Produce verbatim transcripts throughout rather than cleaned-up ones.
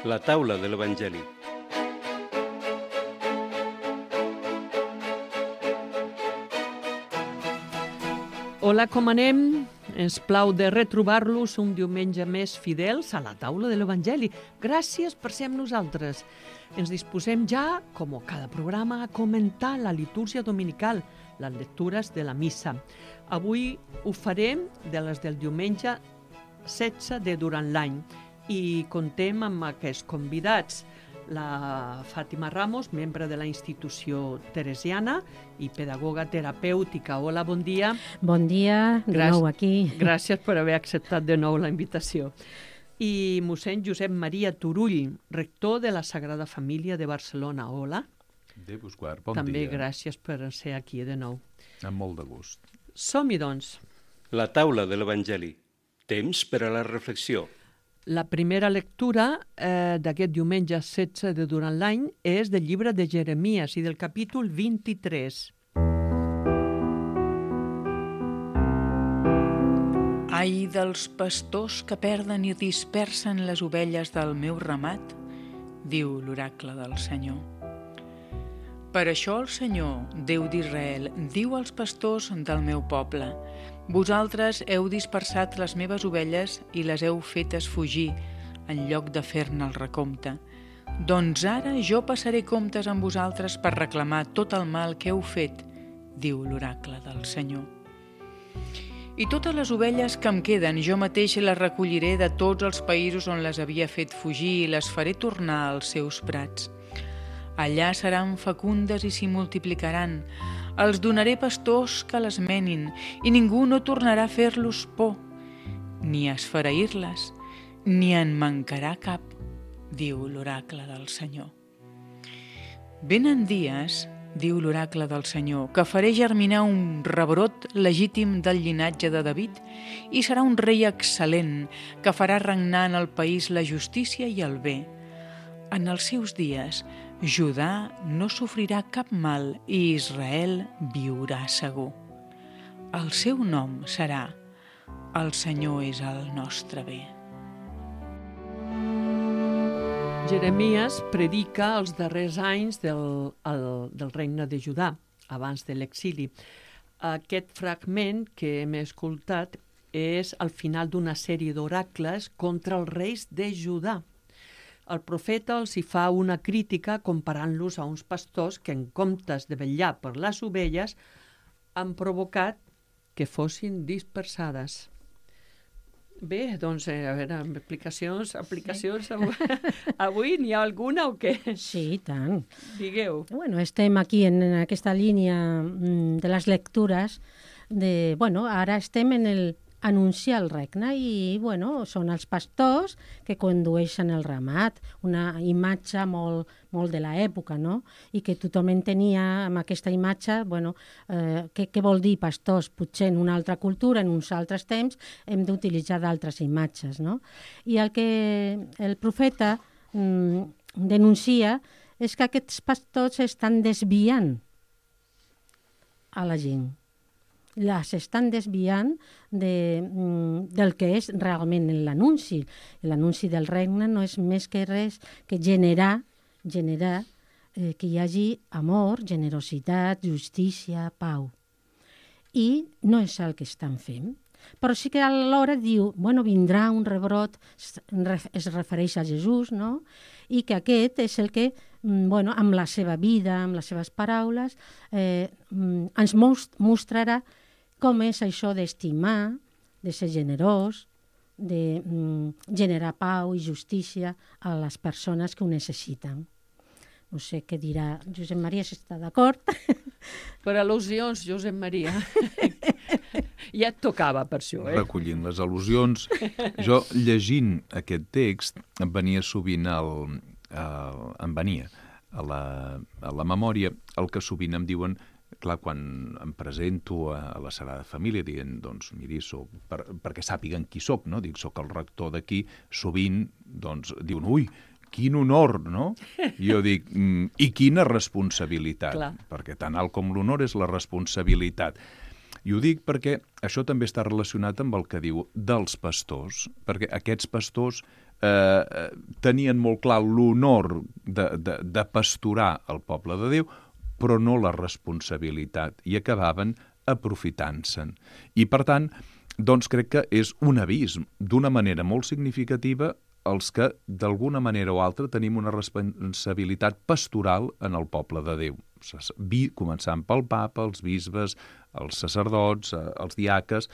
La taula de l'Evangeli. Hola, com anem? Ens plau de retrobar-los un diumenge més fidels a la taula de l'Evangeli. Gràcies per ser amb nosaltres. Ens disposem ja, com cada programa, a comentar la litúrgia dominical, les lectures de la missa. Avui ho farem de les del diumenge setze de durant l'any i contem amb aquests convidats. La Fàtima Ramos, membre de la institució teresiana i pedagoga terapèutica. Hola, bon dia. Bon dia, de Gràcies, nou aquí. Gràcies per haver acceptat de nou la invitació. I mossèn Josep Maria Turull, rector de la Sagrada Família de Barcelona. Hola. Déu vos guard, bon També dia. gràcies per ser aquí de nou. Amb molt de gust. Som-hi, doncs. La taula de l'Evangeli. Temps per a la reflexió. La primera lectura eh, d'aquest diumenge setze de durant l'any és del llibre de Jeremies i del capítol vint-i-tres. Ai dels pastors que perden i dispersen les ovelles del meu ramat, diu l'oracle del Senyor. Per això el Senyor, Déu d'Israel, diu als pastors del meu poble: vosaltres heu dispersat les meves ovelles i les heu fetes fugir, en lloc de fer-ne el recompte. Doncs ara jo passaré comptes amb vosaltres per reclamar tot el mal que heu fet, diu l'oracle del Senyor. I totes les ovelles que em queden jo mateix les recolliré de tots els països on les havia fet fugir i les faré tornar als seus prats. Allà seran fecundes i s'hi multiplicaran. Els donaré pastors que les menin i ningú no tornarà a fer-los por, ni a esfereir-les, ni en mancarà cap, diu l'oracle del Senyor. Venen dies, diu l'oracle del Senyor, que faré germinar un rebrot legítim del llinatge de David i serà un rei excel·lent que farà regnar en el país la justícia i el bé. En els seus dies, Judà no sofrirà cap mal i Israel viurà segur. El seu nom serà: el Senyor és el nostre bé. Jeremies predica els darrers anys del, el, del regne de Judà, abans de l'exili. Aquest fragment que hem escoltat és al final d'una sèrie d'oracles contra els reis de Judà. El profeta els hi fa una crítica comparant-los a uns pastors que, en comptes de vetllar per les ovelles, han provocat que fossin dispersades. Bé, doncs, a veure, amb explicacions, aplicacions, sí. avui, avui n'hi ha alguna o què? Sí, i tant. Digueu. Bueno, estem aquí en aquesta línia de les lectures. De, bueno, ara estem en el anunciar el regne i, bueno, són els pastors que condueixen el ramat, una imatge molt, molt de l'època, no? I que tothom entenia amb aquesta imatge, bueno, eh, què, què vol dir pastors? Potser en una altra cultura, en uns altres temps, hem d'utilitzar d'altres imatges, no? I el que el profeta mm, denuncia és que aquests pastors estan desviant a la gent. Les estan desviant de, del que és realment l'anunci. L'anunci del regne no és més que res que generar, generar eh, que hi hagi amor, generositat, justícia, pau. I no és el que estan fent. Però sí que alhora diu, bueno, vindrà un rebrot, es refereix a Jesús, no? I que aquest és el que, bueno, amb la seva vida, amb les seves paraules, eh, ens mostrarà com és això d'estimar, de ser generós, de mm, generar pau i justícia a les persones que ho necessiten. No sé què dirà Josep Maria, si està d'acord. Per al·lusions, Josep Maria. Ja et tocava per això, eh? Recollint les al·lusions. Jo, llegint aquest text, em venia sovint el, el, em venia a la, a la memòria el que sovint em diuen. Clar, quan em presento a la Sagrada Família dient, doncs, miri, soc, per, perquè sàpiguen qui soc, no? Dic, soc el rector d'aquí, sovint, doncs, diuen, ui, quin honor, no? I jo dic, mm, i quina responsabilitat? Clar. Perquè tan alt com l'honor és la responsabilitat. I ho dic perquè això també està relacionat amb el que diu dels pastors, perquè aquests pastors eh, tenien molt clar l'honor de, de, de pasturar el poble de Déu, però no la responsabilitat, i acabaven aprofitant-se'n. I, per tant, doncs crec que és un avís d'una manera molt significativa els que, d'alguna manera o altra, tenim una responsabilitat pastoral en el poble de Déu. Començant pel papa, els bisbes, els sacerdots, els diaques,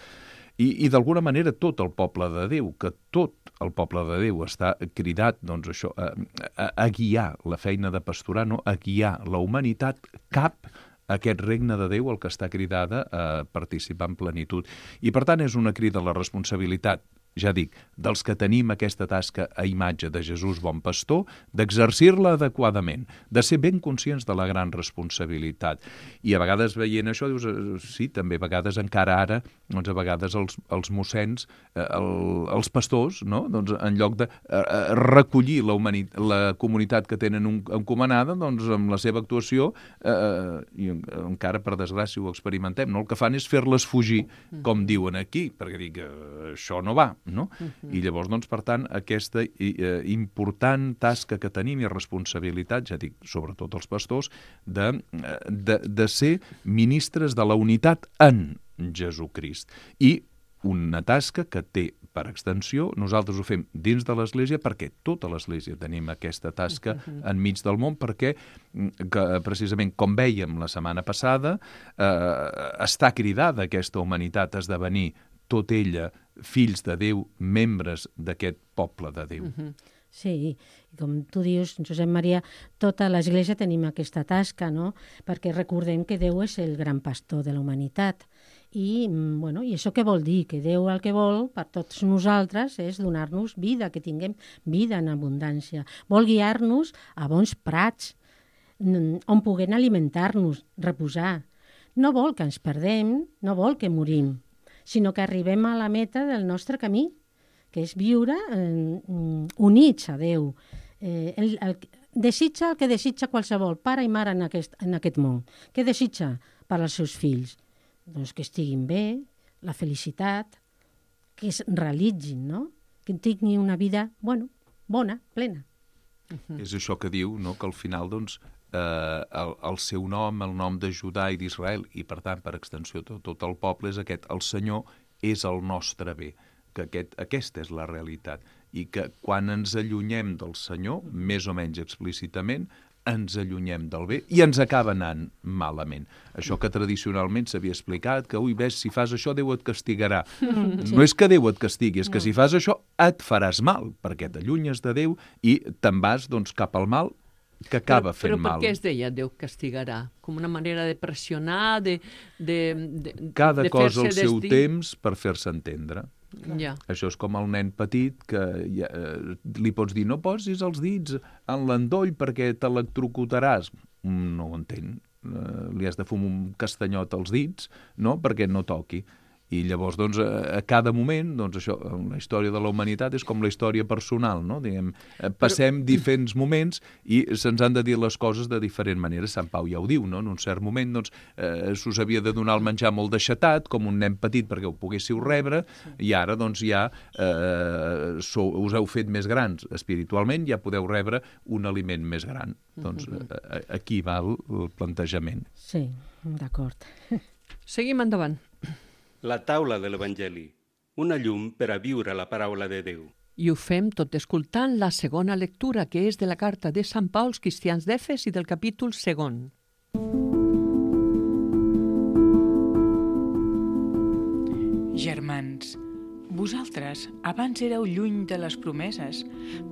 i, i d'alguna manera tot el poble de Déu, que tot el poble de Déu està cridat doncs, això, a, a, a guiar la feina de pasturar, no? A guiar la humanitat cap a aquest regne de Déu el que està cridada a participar en plenitud. I per tant és una crida a la responsabilitat, ja dic, dels que tenim aquesta tasca a imatge de Jesús bon pastor, d'exercir-la adequadament, de ser ben conscients de la gran responsabilitat. I a vegades veient això, dius, sí, també a vegades encara ara, doncs a vegades els, els mossens, el, els pastors, no? Doncs en lloc de eh, recollir la, humanit la comunitat que tenen un, encomanada, doncs amb la seva actuació, eh, i encara per desgràcia ho experimentem, no? El que fan és fer-les fugir, com diuen aquí, perquè dic, eh, això no va. No? Uh-huh. I llavors, doncs, per tant, aquesta eh, important tasca que tenim i responsabilitat, ja dic, sobretot els pastors, de, de, de ser ministres de la unitat en Jesucrist. I una tasca que té, per extensió, nosaltres ho fem dins de l'Església perquè tota l'Església tenim aquesta tasca uh-huh. enmig del món, perquè que, precisament, com vèiem la setmana passada, eh, està cridada aquesta humanitat a esdevenir tot ella fills de Déu, membres d'aquest poble de Déu. Uh-huh. Sí, com tu dius, Josep Maria, tota l'Església tenim aquesta tasca, no? Perquè recordem que Déu és el gran pastor de la humanitat. I, bueno, i això què vol dir? Que Déu el que vol per tots nosaltres és donar-nos vida, que tinguem vida en abundància. Vol guiar-nos a bons prats, on puguem alimentar-nos, reposar. No vol que ens perdem, no vol que morim, sinó que arribem a la meta del nostre camí, que és viure eh, units a Déu. Eh, el, el, desitja el que desitja qualsevol pare i mare en aquest, en aquest món. Què desitja per als seus fills? Doncs que estiguin bé, la felicitat, que es realitzin, no? Que tinguin una vida, bueno, bona, plena. Uh-huh. És això que diu, no?, que al final, doncs, eh, el, el seu nom, el nom de Judà i d'Israel, i per tant, per extensió, tot, tot el poble és aquest, el Senyor és el nostre bé, que aquest, aquesta és la realitat, i que quan ens allunyem del Senyor, més o menys explícitament, ens allunyem del bé i ens acaba anant malament. Això que tradicionalment s'havia explicat, que, ui, ves, si fas això, Déu et castigarà. Mm, sí. No és que Déu et castigui, és que no. Si fas això et faràs mal, perquè t'allunyes de Déu i te'n vas, doncs, cap al mal, que acaba però, fent però mal. Però per què es deia Déu castigarà? Com una manera de pressionar, de, de, de, Cada de cosa al seu desdir... temps per fer-se entendre. Ja. Això és com el nen petit que ja, eh, li pots dir no posis els dits en l'endoll perquè t'electrocutaràs. No ho entén. Eh, li has de fumar un castanyot als dits, no?, perquè no toqui. I llavors, doncs, a cada moment, doncs això, la història de la humanitat és com la història personal, no? Diguem, passem Però... diferents moments i se'ns han de dir les coses de diferent manera. Sant Pau ja ho diu, no? En un cert moment, doncs, eh, s'us havia de donar el menjar molt deixatat, com un nen petit perquè ho poguéssiu rebre, i ara, doncs, ja eh, sou, us heu fet més grans espiritualment, ja podeu rebre un aliment més gran. Doncs eh, aquí va el, el plantejament. Sí, d'acord. Seguim endavant. La taula de l'Evangeli, una llum per a viure la paraula de Déu. I ho fem tot escoltant la segona lectura, que és de la carta de Sant Pau als cristians d'Efes i del capítol segon. Germans, vosaltres abans éreu lluny de les promeses,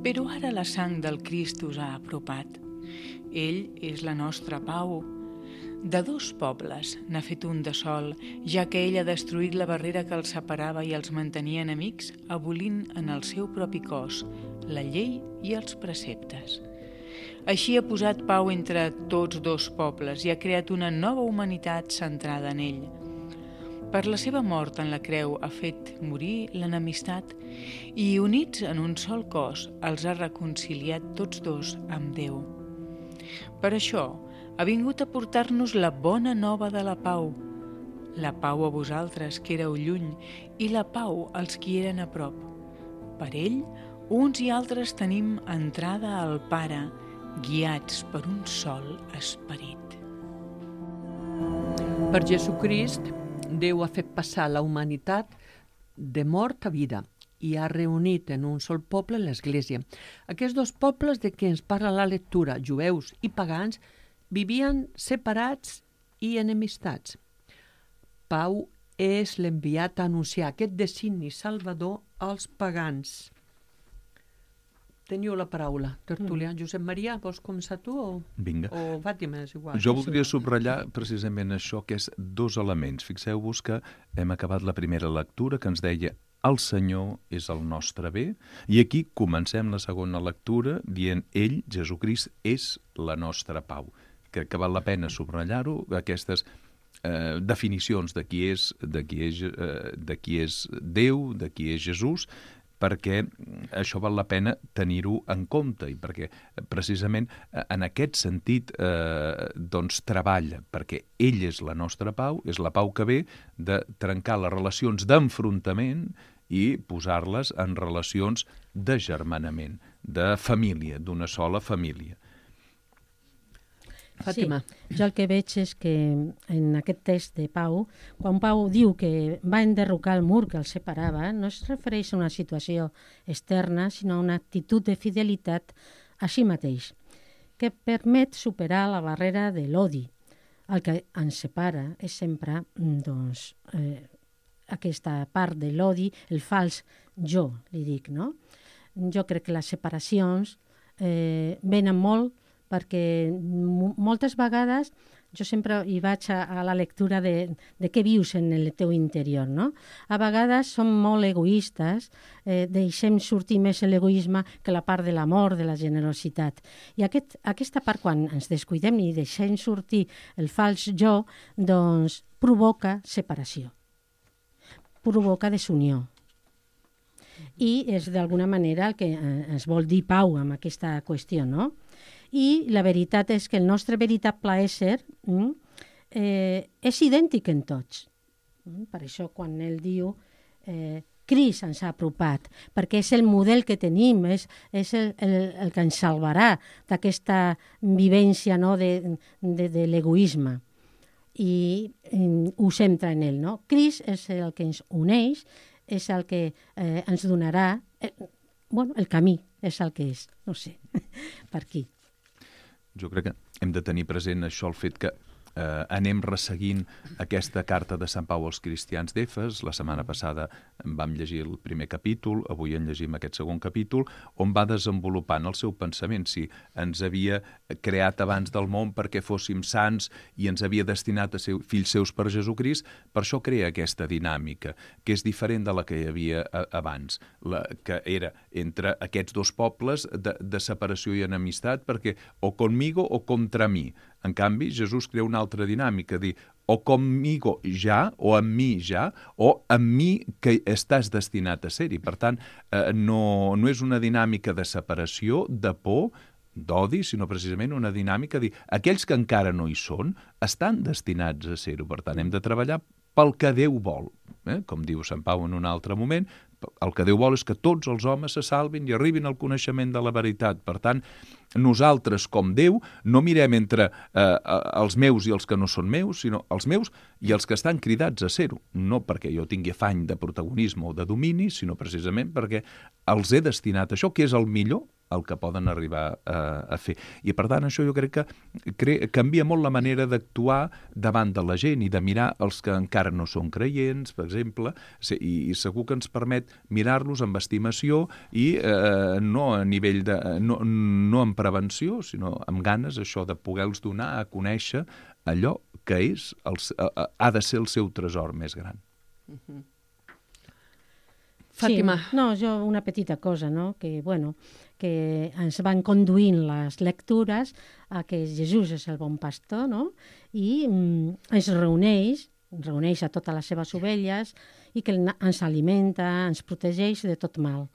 però ara la sang del Crist us ha apropat. Ell és la nostra pau. De dos pobles n'ha fet un de sol, ja que ell ha destruït la barrera que els separava i els mantenia enemics, abolint en el seu propi cos la llei i els preceptes. Així ha posat pau entre tots dos pobles i ha creat una nova humanitat centrada en ell. Per la seva mort en la creu ha fet morir l'enemistat i, units en un sol cos, els ha reconciliat tots dos amb Déu. Per això, ha vingut a portar-nos la bona nova de la pau. la pau a vosaltres, que éreu lluny, i la pau als qui eren a prop. Per ell, uns i altres tenim entrada al Pare, guiats per un sol esperit. Per Jesucrist, Déu ha fet passar la humanitat de mort a vida i ha reunit en un sol poble l'Església. Aquests dos pobles de què ens parla la lectura, jueus i pagans, vivien separats i enemistats. Pau és l'enviat a anunciar aquest designi salvador als pagans. Teniu la paraula, tertúlia. Mm. Josep Maria, vols començar tu o, Vinga. o Fàtima, és igual. Jo voldria subratllar precisament això, que és dos elements. Fixeu-vos que hem acabat la primera lectura que ens deia el Senyor és el nostre bé, i aquí comencem la segona lectura dient ell, Jesucrist, és la nostra pau. Crec que val la pena subratllar-ho, aquestes eh, definicions de qui és, de qui és, eh, de qui és Déu, de qui és Jesús, perquè això val la pena tenir-ho en compte i perquè precisament en aquest sentit eh, doncs treballa, perquè ell és la nostra pau, és la pau que ve de trencar les relacions d'enfrontament i posar-les en relacions de germanament, de família, d'una sola família. Fàtima. Sí, jo el que veig és que en aquest text de Pau, quan Pau diu que va enderrocar el mur que el separava, no es refereix a una situació externa, sinó a una actitud de fidelitat a si mateix, que permet superar la barrera de l'odi. El que ens separa és sempre doncs, eh, aquesta part de l'odi, el fals jo, li dic, no? Jo crec que les separacions eh, venen molt perquè moltes vegades jo sempre hi vaig a, a la lectura de, de què vius en el teu interior, no? A vegades som molt egoistes, eh, deixem sortir més l'egoisme que la part de l'amor, de la generositat. I aquest, aquesta part, quan ens descuidem i deixem sortir el fals jo, doncs provoca separació, provoca desunió. I és d'alguna manera el que ens vol dir Pau amb aquesta qüestió, no? I la veritat és que el nostre veritable ésser eh, és idèntic en tots. Per això quan ell diu eh, Crist ens ha apropat, perquè és el model que tenim, és, és el, el, el que ens salvarà d'aquesta vivència, no, de, de, de l'egoisme. I eh, ho centra en ell, no? Crist és el que ens uneix, és el que eh, ens donarà, eh, bueno, el camí és el que és, no sé, per aquí. Jo crec que hem de tenir present això, el fet que eh, anem resseguint aquesta carta de Sant Pau als cristians d'Efes. La setmana passada vam llegir el primer capítol, avui en llegim aquest segon capítol, on va desenvolupant el seu pensament. Si ens havia creat abans del món perquè fóssim sants i ens havia destinat a ser fills seus per Jesucrist, per això crea aquesta dinàmica, que és diferent de la que hi havia abans, la, que era entre aquests dos pobles de, de separació i enemistat, perquè o conmigo o contra mi. En canvi, Jesús crea una altra dinàmica, dir o conmigo ja, o amb mi ja, o amb mi que estàs destinat a ser-hi. Per tant, eh, no, no és una dinàmica de separació, de por, d'odi, sinó precisament una dinàmica de dir aquells que encara no hi són estan destinats a ser-ho. Per tant, hem de treballar pel que Déu vol. Eh? Com diu Sant Pau en un altre moment, el que Déu vol és que tots els homes se salvin i arribin al coneixement de la veritat. Per tant, nosaltres, com Déu, no mirem entre eh, els meus i els que no són meus, sinó els meus i els que estan cridats a ser-ho. No perquè jo tingui afany de protagonisme o de domini, sinó precisament perquè els he destinat a això, que és el millor, el que poden arribar a, a fer. I per tant això jo crec que cre canvia molt la manera d'actuar davant de la gent i de mirar els que encara no són creients, per exemple, i, i segur que ens permet mirar-los amb estimació i eh, no a nivell de... no, no en prevenció, sinó amb ganes això de poder-los donar a conèixer allò que és el, ha de ser el seu tresor més gran. Uh-huh. Fàtima. Sí, no, jo una petita cosa, no? Que, bueno, que ens van conduint les lectures a que Jesús és el bon pastor, no? I mm, ens reuneix, reuneix a totes les seves ovelles i que ens alimenta, ens protegeix de tot mal.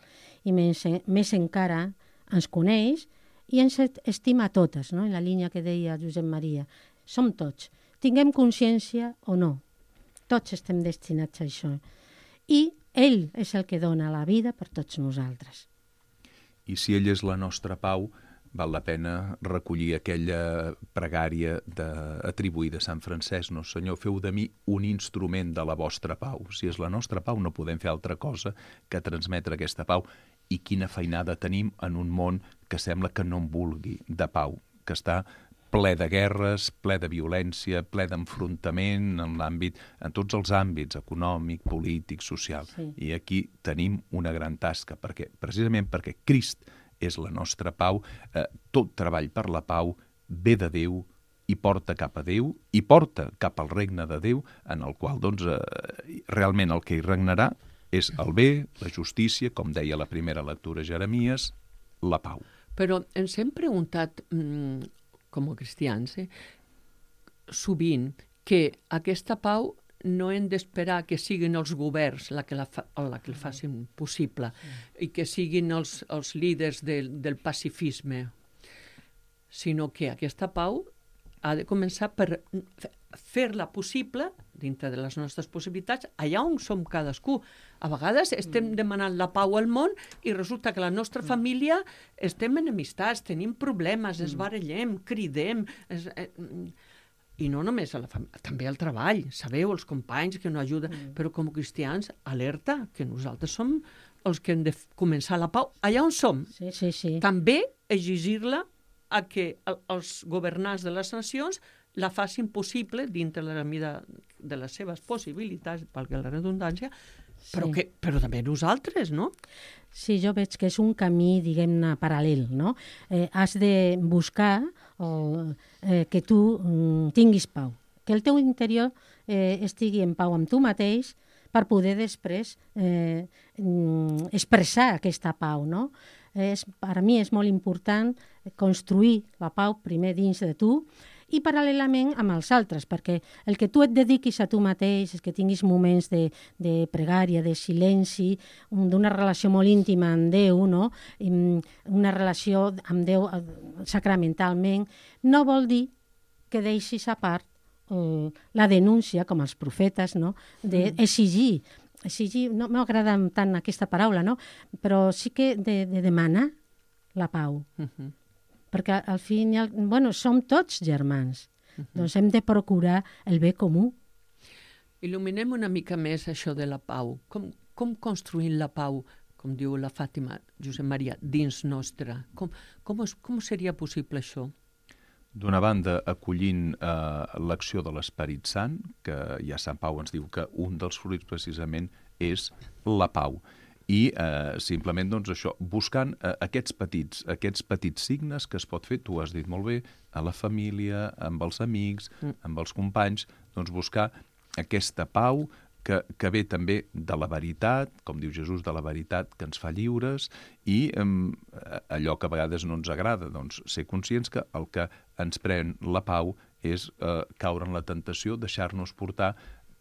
I més, més encara ens coneix i ens estima a totes, no? En la línia que deia Josep Maria. Som tots. Tinguem consciència o no. tots estem destinats a això. I ell és el que dona la vida per tots nosaltres. I si ell és la nostra pau, val la pena recollir aquella pregària de, atribuïda a Sant Francesc, no? Senyor, feu de mi un instrument de la vostra pau. Si és la nostra pau, no podem fer altra cosa que transmetre aquesta pau. I quina feinada tenim en un món que sembla que no en vulgui de pau, que està ple de guerres, ple de violència, ple d'enfrontament en l'àmbit, en tots els àmbits, econòmic, polític, social. Sí. I aquí tenim una gran tasca, perquè precisament perquè Crist és la nostra pau, eh, tot treball per la pau ve de Déu i porta cap a Déu, i porta cap al regne de Déu, en el qual doncs, eh, realment el que hi regnarà és el bé, la justícia, com deia la primera lectura Jeremies, la pau. Però ens hem preguntat, mmm, com a cristians, eh, sovint, que aquesta pau no hem d'esperar que siguin els governs la que la, fa, la que la facin possible i que siguin els, els líders del, del pacifisme, sinó que aquesta pau ha de començar per fer-la possible, dintre de les nostres possibilitats, allà on som cadascú. A vegades estem demanant la pau al món i resulta que la nostra família estem enemistats, tenim problemes, es barallem, cridem... Es, eh, I no només a la família, també al treball, sabeu, els companys que no ajuden, mm. però com a cristians, alerta, que nosaltres som els que hem de començar la pau allà on som. Sí, sí, sí. També exigir-la a que els governants de les nacions la facin possible dintre la mida de les seves possibilitats, valgui la redundància, però, sí. que, però també nosaltres, no? Sí, jo veig que és un camí, diguem-ne, paral·lel, no? Eh, has de buscar o, eh, que tu mm, tinguis pau, que el teu interior eh, estigui en pau amb tu mateix per poder després eh, mm, expressar aquesta pau, no? És, per a mi és molt important construir la pau primer dins de tu i paral·lelament amb els altres, perquè el que tu et dediquis a tu mateix, que tinguis moments de, de pregària, de silenci, d'una relació molt íntima amb Déu, no? Una relació amb Déu sacramentalment, no vol dir que deixis a part eh, la denúncia, com els profetes, no? D'exigir, exigir, no m'agrada tant aquesta paraula, no? Però sí que de, de demanar la pau. Uh-huh. Perquè al fin i al... Bueno, som tots germans, uh-huh. Doncs hem de procurar el bé comú. Il·luminem una mica més això de la pau. Com, com construïm la pau, com diu la Fàtima Josep Maria, dins nostra? Com, com, es, com seria possible això? D'una banda, acollint eh, l'acció de l'Esperit Sant, que ja Sant Pau ens diu que un dels fruits precisament és la pau. I eh, simplement doncs, això, buscant eh, aquests petits aquests petits signes que es pot fer, tu has dit molt bé, a la família, amb els amics, mm. amb els companys, doncs buscar aquesta pau que, que ve també de la veritat, com diu Jesús, de la veritat que ens fa lliures, i eh, allò que a vegades no ens agrada, doncs ser conscients que el que ens pren la pau és eh, caure en la tentació, deixar-nos portar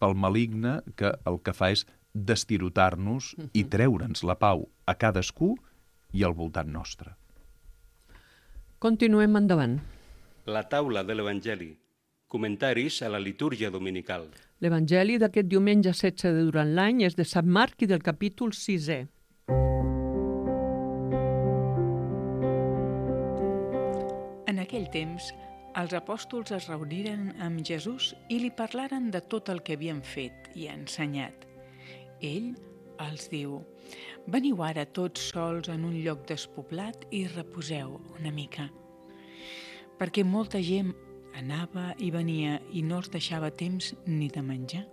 pel maligne, que el que fa és d'estirotar-nos i treure'ns la pau a cadascú i al voltant nostre. Continuem endavant. La taula de l'Evangeli. Comentaris a la litúrgia dominical. L'Evangeli d'aquest diumenge setze de durant l'any és de Sant Marc i del capítol sisè. En aquell temps, els apòstols es reuniren amb Jesús i li parlaren de tot el que havien fet i ensenyat. Ell els diu: veniu ara tots sols en un lloc despoblat i reposeu una mica. Perquè molta gent anava i venia i no els deixava temps ni de menjar.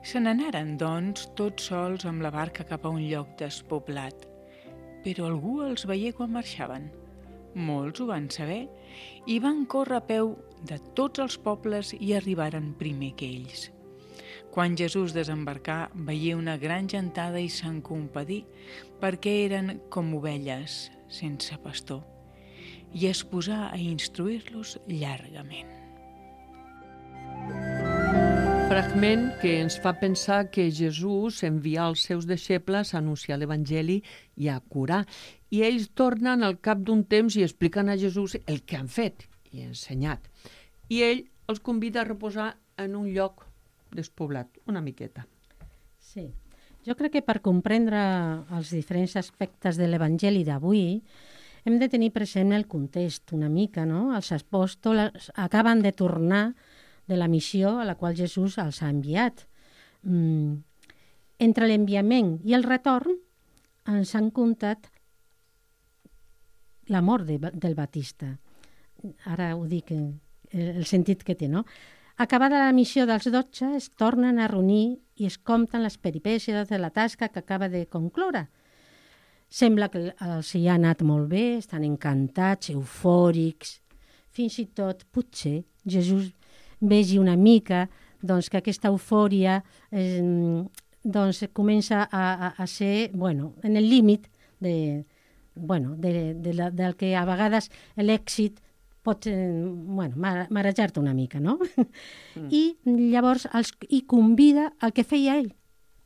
Se n'anaren, doncs, tots sols amb la barca cap a un lloc despoblat. Però algú els veié quan marxaven. Molts ho van saber i van córrer a peu de tots els pobles i arribaren primer que ells. Quan Jesús desembarcà, veié una gran gentada i se'n compadí, perquè eren com ovelles sense pastor, i es posà a instruir-los llargament. Fragment que ens fa pensar que Jesús envia els seus deixebles a anunciar l'Evangeli i a curar. I ells tornen al cap d'un temps i expliquen a Jesús el que han fet i ensenyat. I ell els convida a reposar en un lloc despoblat, una miqueta. Sí. Jo crec que per comprendre els diferents aspectes de l'Evangeli d'avui hem de tenir present el context una mica, no? Els apòstols acaben de tornar de la missió a la qual Jesús els ha enviat. Mm. Entre l'enviament i el retorn ens han contat la mort de, del Batista. Ara ho dic, el sentit que té, no? Acabada la missió dels dotze, es tornen a reunir i es compten les peripècies de la tasca que acaba de concloure. Sembla que els hi ha anat molt bé, estan encantats, eufòrics. Fins i tot, potser, Jesús vegi una mica doncs, que aquesta eufòria eh, doncs, comença a, a, a ser bueno, en el límit de, bueno, de, de la, del que a vegades l'èxit pot eh, bueno, marejar-te una mica, no? Mm. I llavors els, i convida al que feia ell,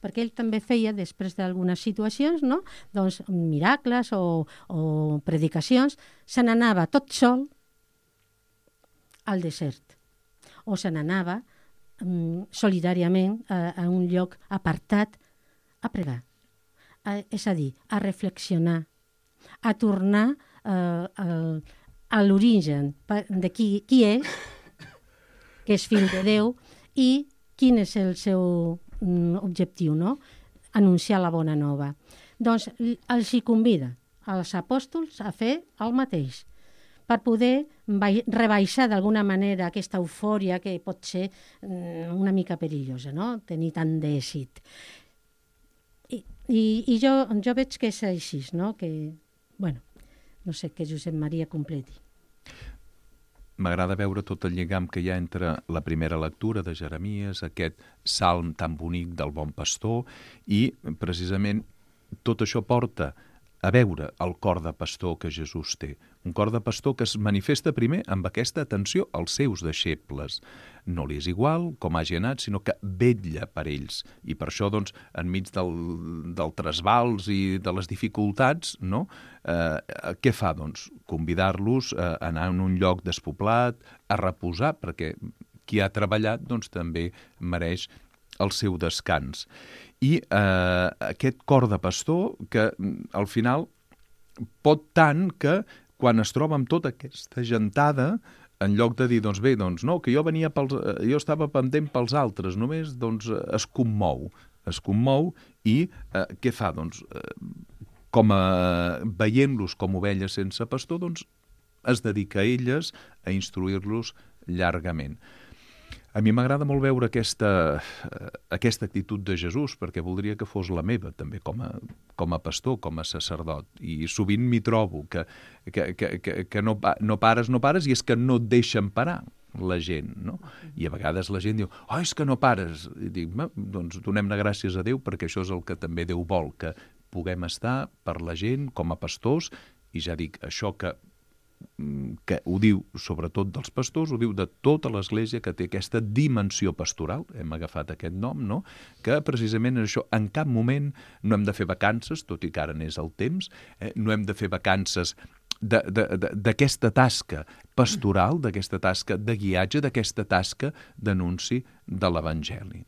perquè ell també feia, després d'algunes situacions, no? Doncs miracles o, o predicacions, se n'anava tot sol al desert, o se n'anava um, solidàriament a, a un lloc apartat a pregar, a, és a dir, a reflexionar, a tornar uh, al a l'origen de qui, qui és, que és fill de Déu, i quin és el seu mm, objectiu, no? Anunciar la bona nova. Doncs els hi convida als apòstols a fer el mateix, per poder rebaixar d'alguna manera aquesta eufòria que pot ser mm, una mica perillosa, no? Tenir tant d'èxit. I, i, i jo, jo veig que és així, no? Que, bueno, no sé, que Josep Maria completi. M'agrada veure tot el lligam que hi ha entre la primera lectura de Jeremies, aquest salm tan bonic del bon pastor, i precisament tot això porta a veure el cor de pastor que Jesús té. Un cor de pastor que es manifesta primer amb aquesta atenció als seus deixebles. No li és igual com hagi anat, sinó que vetlla per ells. I per això, doncs, enmig del, del trasbals i de les dificultats, no? Eh, què fa, doncs? Convidar-los a anar a un lloc despoblat, a reposar, perquè qui ha treballat, doncs, també mereix el seu descans. I eh, aquest cor de pastor que al final pot tant que quan es troba amb tota aquesta gentada, en lloc de dir, doncs bé, doncs no, que jo venia pels, jo estava pendent pels altres, només doncs es commou, es commou i eh, què fa? Doncs eh, com a, veient-los com ovelles sense pastor, doncs es dedica a elles a instruir-los llargament. A mi m'agrada molt veure aquesta, aquesta actitud de Jesús, perquè voldria que fos la meva, també, com a, com a pastor, com a sacerdot. I sovint m'hi trobo, que, que, que, que no, no pares, no pares, i és que no et deixen parar la gent, no? I a vegades la gent diu, oh, és que no pares. I dic, doncs donem-ne gràcies a Déu, perquè això és el que també Déu vol, que puguem estar per la gent com a pastors, i ja dic, això que que ho diu sobretot dels pastors, ho diu de tota l'Església que té aquesta dimensió pastoral, hem agafat aquest nom, no? Que precisament en això en cap moment no hem de fer vacances, tot i que ara n'és el temps, eh? No hem de fer vacances d'aquesta tasca pastoral, d'aquesta tasca de guiatge, d'aquesta tasca d'anunci de l'Evangeli.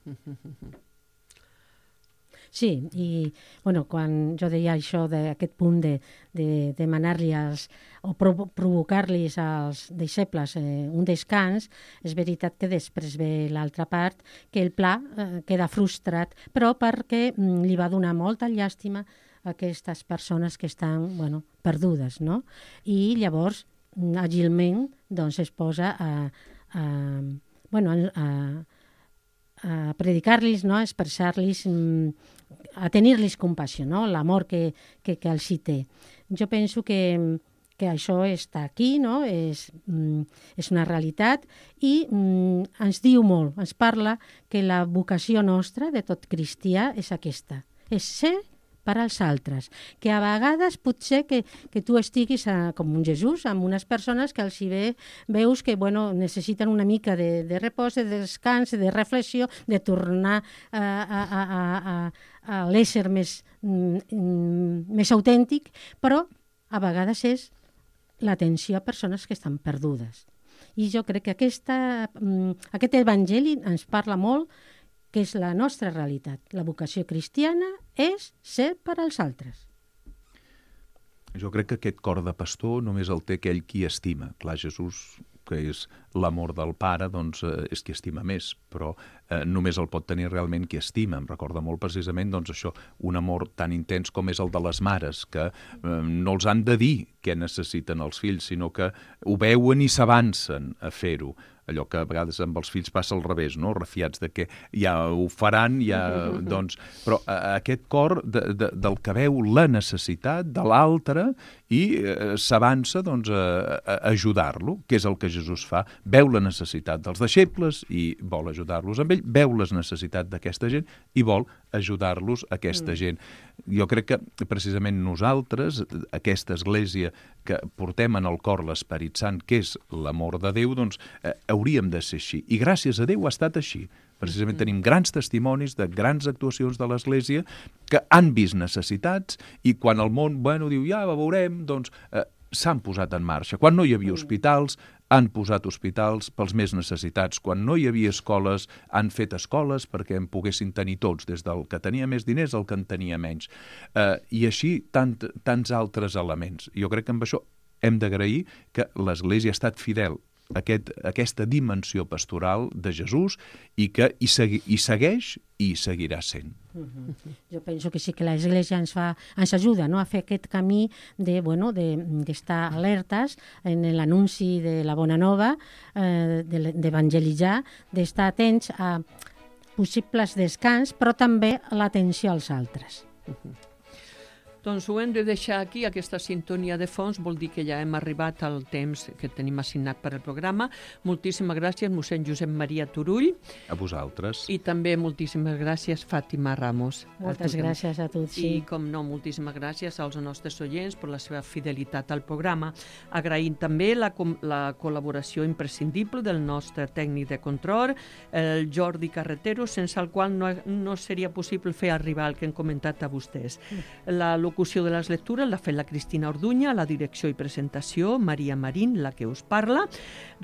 Sí, i bueno, quan jo deia això d'aquest punt de, de demanar-li als, o provo provocar-los als deixebles eh, un descans, és veritat que després ve l'altra part, que el pla eh, queda frustrat, però perquè mm, li va donar molta llàstima a aquestes persones que estan bueno, perdudes, no? I llavors, àgilment, doncs, es posa a, a, bueno, a, a predicar-los, no? A expressar-los, a tenir-los compassió, no? L'amor que, que, que els hi té. Jo penso que, que això està aquí, no? És, és una realitat i mm, ens diu molt, ens parla que la vocació nostra de tot cristià és aquesta, és ser per als altres, que a vegades potser que, que tu estiguis a, com un Jesús, amb unes persones que els hi ve, veus que bueno, necessiten una mica de, de repòs, de descans, de reflexió, de tornar a, a, a, a, a l'ésser més, mm, més autèntic, però a vegades és l'atenció a persones que estan perdudes. I jo crec que aquesta, mm, aquest evangeli ens parla molt que és la nostra realitat. La vocació cristiana és ser per als altres. Jo crec que aquest cor de pastor només el té aquell qui estima. Clar, Jesús, que és l'amor del Pare, doncs eh, és qui estima més, però eh, només el pot tenir realment qui estima. Em recorda molt precisament doncs, això, un amor tan intens com és el de les mares, que eh, no els han de dir què necessiten els fills, sinó que ho veuen i s'avancen a fer-ho. Allò que a vegades amb els fills passa al revés, no? Refiats de que ja ho faran, ja, doncs... Però eh, aquest cor de, de, del que veu la necessitat de l'altre i eh, s'avança doncs, a, a ajudar-lo, que és el que Jesús fa. Veu la necessitat dels deixebles i vol ajudar-los amb ell, veu les necessitats d'aquesta gent i vol ajudar-los a aquesta mm. gent. Jo crec que precisament nosaltres, aquesta església que portem en el cor l'Esperit Sant, que és l'amor de Déu, doncs eh, hauríem de ser així. I gràcies a Déu ha estat així. Precisament tenim grans testimonis de grans actuacions de l'Església que han vist necessitats i quan el món, bueno, diu, ja, veurem, doncs eh, s'han posat en marxa. Quan no hi havia hospitals, han posat hospitals pels més necessitats. Quan no hi havia escoles, han fet escoles perquè en poguessin tenir tots, des del que tenia més diners al que en tenia menys. Eh, I així tant, tants altres elements. Jo crec que amb això hem d'agrair que l'Església ha estat fidel a aquest, aquesta dimensió pastoral de Jesús i que hi, segui, hi segueix i hi seguirà sent. Uh-huh. Jo penso que sí que l'Església ens, fa, ens ajuda, no?, a fer aquest camí de, bueno, de, d'estar alertes en l'anunci de la bona nova, eh, d'evangelitzar, d'estar atents a possibles descans, però també a l'atenció als altres. Uh-huh. Doncs ho hem de deixar aquí, aquesta sintonia de fons, vol dir que ja hem arribat al temps que tenim assignat per al programa. Moltíssimes gràcies, mossèn Josep Maria Turull. A vosaltres. I també moltíssimes gràcies, Fàtima Ramos. Moltes a gràcies a tots. Sí. I, com no, moltíssimes gràcies als nostres oients per la seva fidelitat al programa. Agraïm també la, la col·laboració imprescindible del nostre tècnic de control, el Jordi Carretero, sense el qual no, no seria possible fer arribar el que hem comentat a vostès. La locució de les lectures l'ha fet la Cristina Orduña, la direcció i presentació, Maria Marín, la que us parla.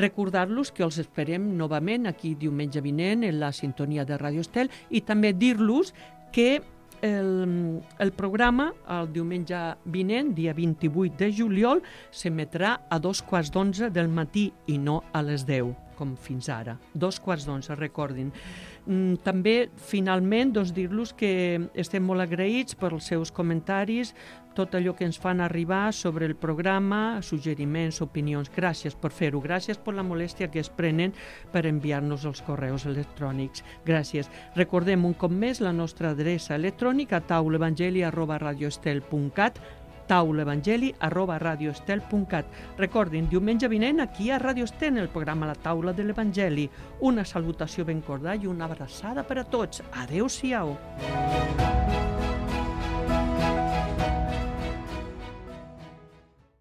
Recordar-los que els esperem novament aquí diumenge vinent en la sintonia de Radio Estel i també dir-los que el, el programa el diumenge vinent, dia vint-i-vuit de juliol, s'emetrà a dos quarts d'onze del matí i no a les deu, com fins ara. Dos quarts d'onze, recordin. També, finalment, doncs, dir-los que estem molt agraïts pels seus comentaris, tot allò que ens fan arribar sobre el programa, suggeriments, opinions. Gràcies per fer-ho, gràcies per la molèstia que es prenen per enviar-nos els correus electrònics. Gràcies. Recordem un cop més la nostra adreça electrònica, taulaevangeli arroba radioestel punt cat, taulaevangeli arroba radioestel punt cat. Recordin, diumenge vinent aquí a Radio Estel, el programa La Taula de l'Evangeli. Una salutació ben cordial i una abraçada per a tots. Adéu-siau.